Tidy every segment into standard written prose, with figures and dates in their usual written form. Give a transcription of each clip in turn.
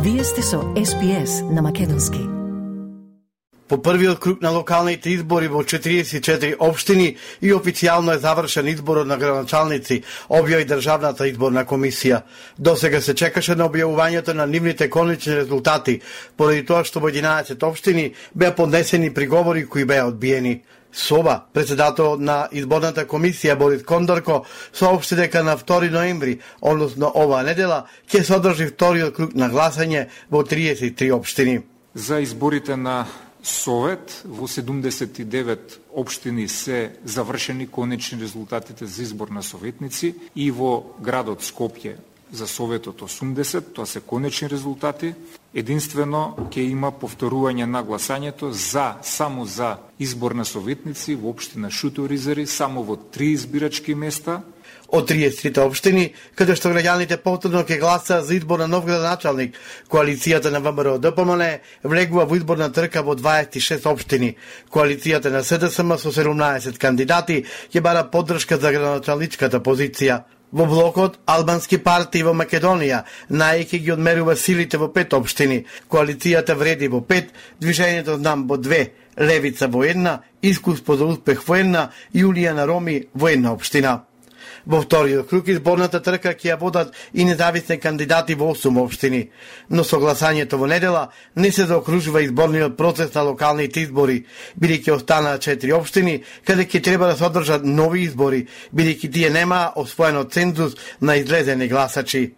Вие сте со SPS на македонски. По првиот круг на локалните избори во 44 општини и официјално е завршен изборот на градоначалници, објави Државната изборна комисија. Досега се чекаше на објавувањето на нивните конечни резултати, поради тоа што во 11 општини беа поднесени приговори кои беа одбиени. Соба, председател на изборната комисија Борис Кондорко, соопшти дека на 2 ноември, односно оваа недела, ќе се одржи вториот круг на гласање во 33 општини. За изборите на Совет во 79 општини се завршени конечни резултатите за избор на советници и во градот Скопје за Советот 80, тоа се конечни резултати. Единствено ќе има повторување на гласањето само за избор на советници во општина Шуторизари, само во 3 избирачки места. Од 33 општини, каде што граѓаните повторно ќе гласаат за избор на нов градоначалник, коалицијата на ВМРО ДПМН влегува во изборна трка во 26 општини. Коалицијата на СДСМ со 17 кандидати ќе бара поддршка за градоначалничката позиција. Во блокот албански партии во Македонија најеќе ги одмерува силите во 5 општини. Коалицијата вреди во 5, Движењето Знам во 2, Левица во 1, Искуство за успех во 1 и Јулија на Роми во 1 општина. Во вториот круг изборната трка ќе ја водат и независни кандидати во 8 општини, но со гласањето во недела не се заокружува изборниот процес на локалните избори, бидејќи останаа 4 општини каде ќе треба да се одржат нови избори, бидејќи тие немаа освоено цензус на излезени гласачи.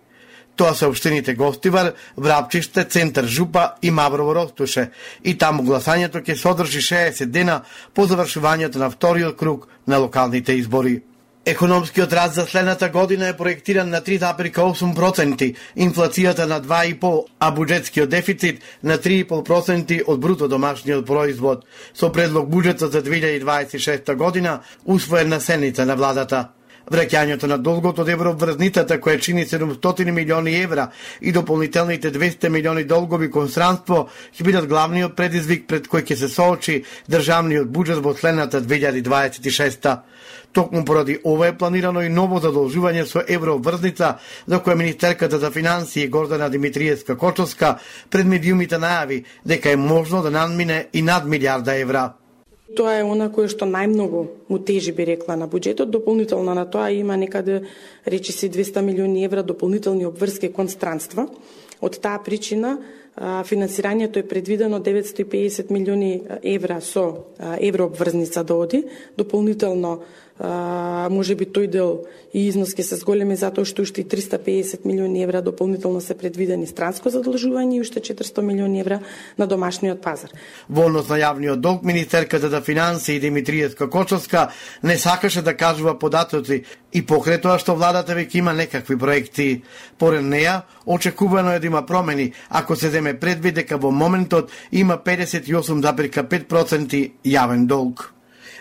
Тоа се општините Гостивар, Врапчиште, Центар Жупа и Маврово Ростуше, и таму гласањето ќе се одржи 60 дена по завршувањето на вториот круг на локалните избори. Економскиот раст за следната година е проектиран на 3,8%, инфлацијата на 2,5%, а буџетскиот дефицит на 3,5% од бруто домашниот производ, со предлог буџетот за 2026 година усвоен на седница на владата. Враќањето на долгот од евроврзницата, која чини 700 милиони евра, и дополнителните 200 милиони долгови кон странство ќе бидат главниот предизвик пред кој ќе се соочи државниот буџет во следната 2026. Токму поради ова е планирано и ново задолжување со евроврзница, за која министерката за финансии Гордана Димитриевска-Кочовска пред медиумите најави дека е можно да надмине и над милијарда евра. Тоа е она кое што најмногу му тежи, би рекла, на буџетот. Дополнително на тоа има некаде, речи си, 200 милиони евра дополнителни обврски кон странства. Од таа причина финансирањето е предвидено 950 милиони евра со еврообврзница да оди. Дополнително може би тој дел и износ ќе се зголеми затоа што уште 350 милиони евра дополнително се предвидени странско задолжување и уште 400 милиони евра на домашниот пазар. Во однос на јавниот долг, министерката за финансии Димитриевска-Кочовска не сакаше да кажува податоци и покрај тоа што владата веќе има некакви проекти. Поред неја, очекувано е да има промени ако се земе предвид дека во моментот има 58,5% јавен долг.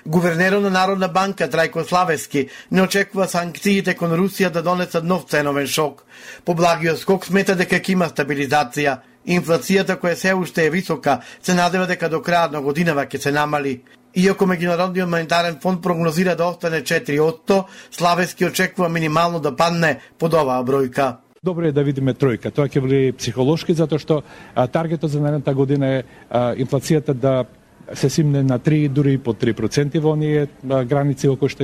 Гувернерот на Народна банка Трајко Славески не очекува санкциите кон Русија да донесат нов ценовен шок. По благиот скок смета дека ќе има стабилизација. Инфлацијата, која се уште е висока, се надева дека до крајот на годинава ќе се намали. Иако Меѓународниот монетарен фонд прогнозира да остане 4%, Славески очекува минимално да падне под оваа бројка. Добро е да видиме тројка. Тоа ќе биде психолошки, затоа што таргетот за наредната година е инфлацијата да се симне на 3, дури и под 3% во оние граници во кои што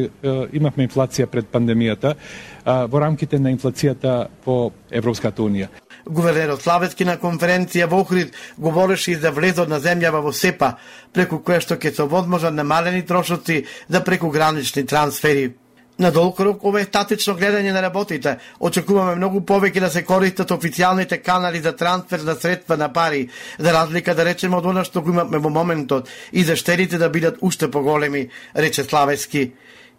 имавме инфлација пред пандемијата, во рамките на инфлацијата по Европската унија. Гувернерот Славески на конференција во Охрид говореше и за влезот на земјава во СЕПА, преку која што ќе се возможат намалени трошоци за прекугранични трансфери. На долг рок ова е статично гледање на работите. Очекуваме многу повеќе да се користат официјалните канали за трансфер на средства на пари, за разлика да речеме од она што го имаме во моментот, и за штедите да бидат уште поголеми, рече Славески.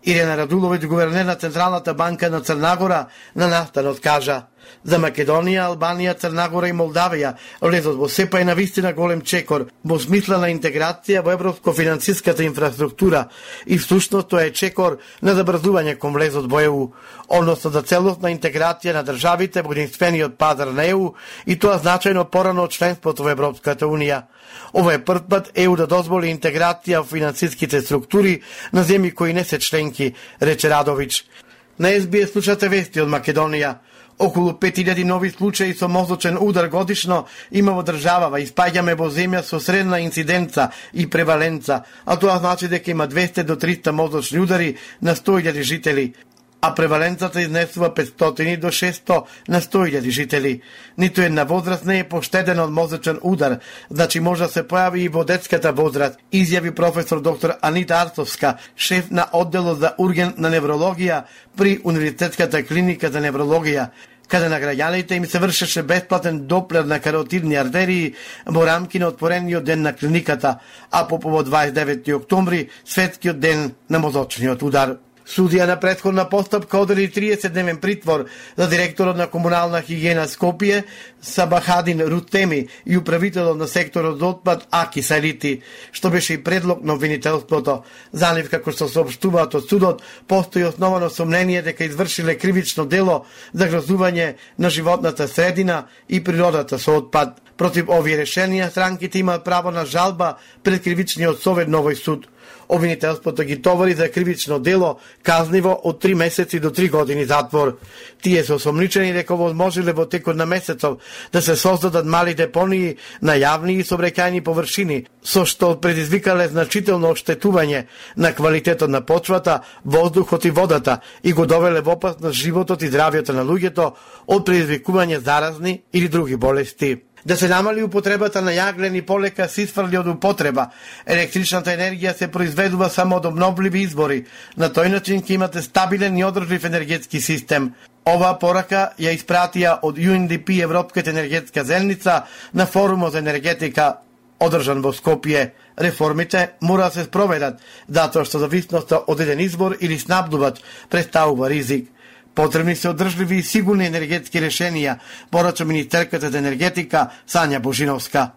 Ирена Радуловиќ, гувернер на Централната банка на Црнагора, на настанот кажа: за Македонија, Албанија, Црнагора и Молдавија влезот во СЕПА е навистина голем чекор во смислена интеграција во европско-финансиската инфраструктура и всушност тоа е чекор на забрзување кон влезот во ЕУ, односно за целосна интеграција на државите во единствениот пазар на ЕУ, и тоа значајно порано од членството во Европската унија. Ова е прв пат ЕУ да дозволи интеграција во финансиските структури на земји кои не се членки, рече Радовиќ. На СБС слушате вести од Македонија. Околу 5000 нови случаи со мозочен удар годишно има во државава и спаѓаме во земја со средна инциденца и преваленца, а тоа значи дека има 200 до 300 мозочни удари на 100.000 жители, а преваленцата изнесува 500 до 600 на 100.000 жители. Ниту една возраст не е поштедена од мозочен удар, значи може да се појави и во детската возраст, изјави професор доктор Анита Арцовска, шеф на одделот за ургентна неврологија при Универзитетската клиника за неврологија, каде на граѓаните им се вршеше бесплатен доплер на каротидни артерии во рамки на отворениот ден на клиниката, а по повод 29. октомври, светскиот ден на мозочниот удар. Судија на претходна постапка одели 30-дневен притвор за директорот на комунална хигиена Скопје Сабахадин Рутеми и управителот на секторот за отпад Аки Салити, што беше и предлог на обвинителството. За нив, како што соопштуваат од судот, постои основано сомнение дека извршиле кривично дело за грозување на животната средина и природата со отпад. Против овие решенија, странките имаат право на жалба пред кривичниот совет на овој суд. Обвинителството ги товари за кривично дело казниво од 3 месеци до 3 години затвор. Тие се осомничени дека возможеле во текот на месецов да се создадат мали депонии на јавни и собрекајни површини, со што предизвикале значително оштетување на квалитетот на почвата, воздухот и водата и го довеле во опасност животот и здравјето на луѓето од предизвикување заразни или други болести. Да се намали употребата на јаглен и полека се исфрли од употреба. Електричната енергија се произведува само од обновливи извори. На тој начин ќе имате стабилен и одржлив енергетски систем. Оваа порака ја испратија од UNDP Европската енергетска заедница на форумот за енергетика одржан во Скопје. Реформите мора да се спроведат, затоа што зависноста од еден извор или снабдувач представува ризик. Потребни се одржливи и сигурни енергетски решенија, порача министерката за енергетика Сања Божиновска.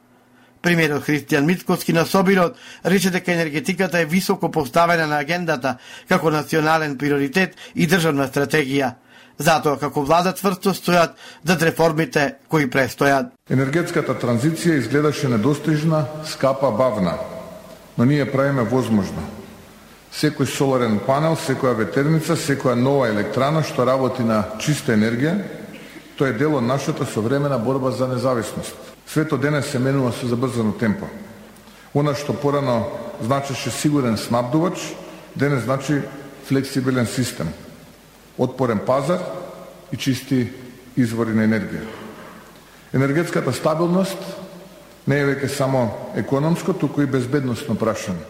Премиерот Христијан Мицкоски на Собирот рече дека енергетиката е високо поставена на агендата како национален приоритет и државна стратегија. Затоа како влада цврсто стојат зад реформите кои престојат. Енергетската транзиција изгледаше недостижна, скапа, бавна, но ние правиме возможно. Секој соларен панел, секоја ветерница, секоја нова електрана што работи на чиста енергија, тоа е дел од нашата современа борба за независност. Светот денес се менува со забрзано темпо. Она што порано значеше сигурен снабдувач, денес значи флексибилен систем, отпорен пазар и чисти извори на енергија. Енергетската стабилност не е веќе само економско, туку и безбедносно прашање.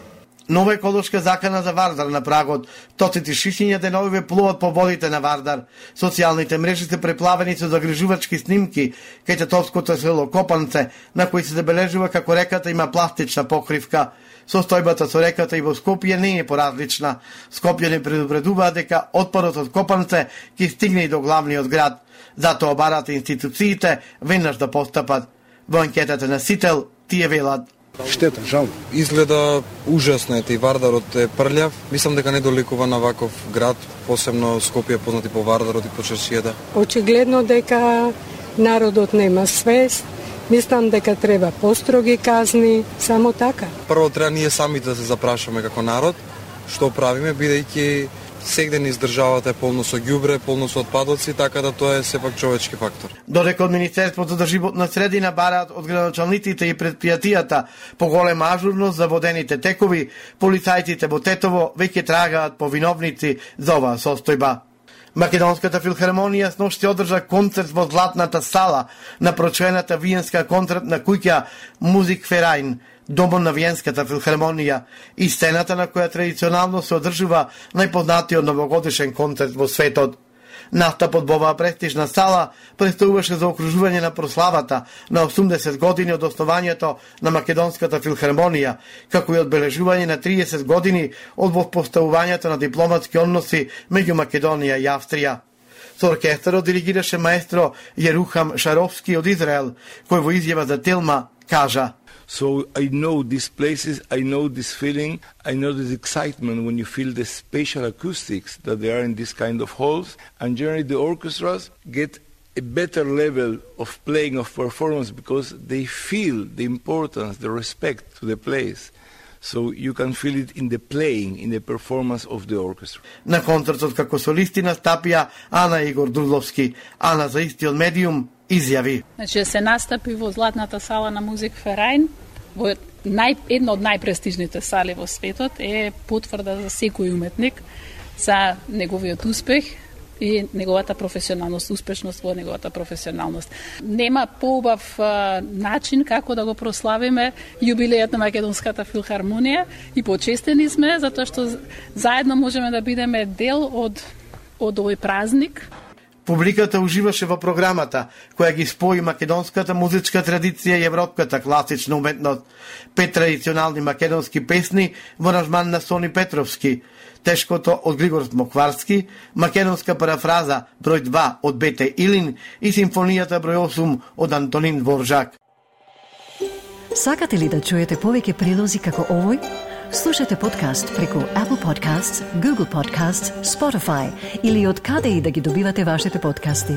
Нова еколошка закана за Вардар на прагот. Тоците шишиња деновиве плуват по водите на Вардар. Социјалните мрежи се преплавени со загрижувачки снимки кај татовското село Копанце, на кои се забележува како реката има пластична покривка. Состојбата со реката и во Скопје не е поразлична. Скопјани предупредуваат дека отпадот од Копанце ќе стигне и до главниот град. Затоа барат институциите веднаш да постапат. Во анкетата на Сител тие велат: Штета, жал. Изгледа ужасно е, и Вардарот е прљав. Мислам дека не доликува на ваков град, посебно Скопје познати по Вардарот и по чаршијата. Очигледно дека народот нема свест. Мислам дека треба построги казни, само така. Прво треба ние самите да се запрашаме како народ, што правиме, бидејќи сегден из државата е полно со ѓубре, полно со отпадоци, така да тоа е сепак човечки фактор. Додека од Министерството за животна средина бараат од градоначалниците и предпријатијата поголема ажурност за водените текови, полицајците во Тетово веќе трагаат по виновници за оваа состојба. Македонската филхармонија сношти одржа концерт во Златната сала на прочуената виенска концертна куќа Музик Ферајн, домот на Виенската филхармонија и сцената на која традиционално се одржува најпознатиот новогодишен концерт во светот. Настапот во оваа престижна сала представуваше за окружување на прославата на 80 години од основањето на Македонската филхармонија, како и одбележување на 30 години од воспоставувањето на дипломатски односи меѓу Македонија и Австрија. Со оркестарот диригираше маестро Јерухам Шаровски од Израел, кој во изјава за Телма кажа: So I know these places, I know this feeling, I know this excitement when you feel the spatial acoustics that there are in this kind of halls, and generally the orchestras get a better level of playing, of performance, because they feel the importance, the respect to the place. So you can feel it in the playing, in the performance of the orchestra. На концертот како солисти настапија Ана Игор Дурловски. Ана за истиот медиум изјави. Значи се настапи во Златната сала на Музик Ферајн, во една од најпрестижните сали во светот, е потврда за секој уметник за неговиот успех и неговата професионалност, успешност во неговата професионалност. Нема поубав начин како да го прославиме јубилејот на Македонската филхармонија и почестени сме затоа што заедно можеме да бидеме дел од овој празник. Публиката уживаше во програмата, која ги спои македонската музичка традиција и европската класична уметност. 5 традиционални македонски песни во аранжман на Сони Петровски, Тешкото од Григор Смокварски, македонска парафраза број 2 од Бете Илин и симфонијата број 8 од Антонин Дворжак. Сакате ли да чуете повеќе прилози како овој? Слушате подкаст преку Apple Podcasts, Google Podcasts, Spotify или од каде и да ги добивате вашите подкасти.